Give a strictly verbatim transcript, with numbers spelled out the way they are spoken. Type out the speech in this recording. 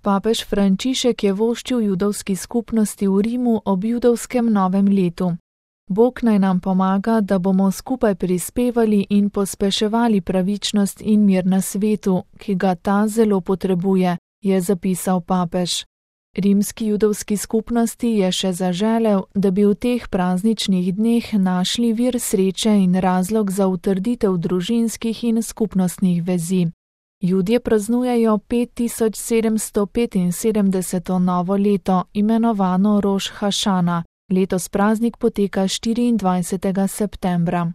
Papež Frančišek je voščil judovski skupnosti v Rimu ob judovskem novem letu. Bog naj nam pomaga, da bomo skupaj prispevali in pospeševali pravičnost in mir na svetu, ki ga ta zelo potrebuje, je zapisal papež. Rimski judovski skupnosti je še zaželel, da bi v teh prazničnih dneh našli vir sreče in razlog za utrditev družinskih in skupnostnih vezi. Judje praznujejo pet tisoč sedemsto petinsedemdeseto novo leto, imenovano Roš hašana. Letos praznik poteka štiriindvajsetega septembra.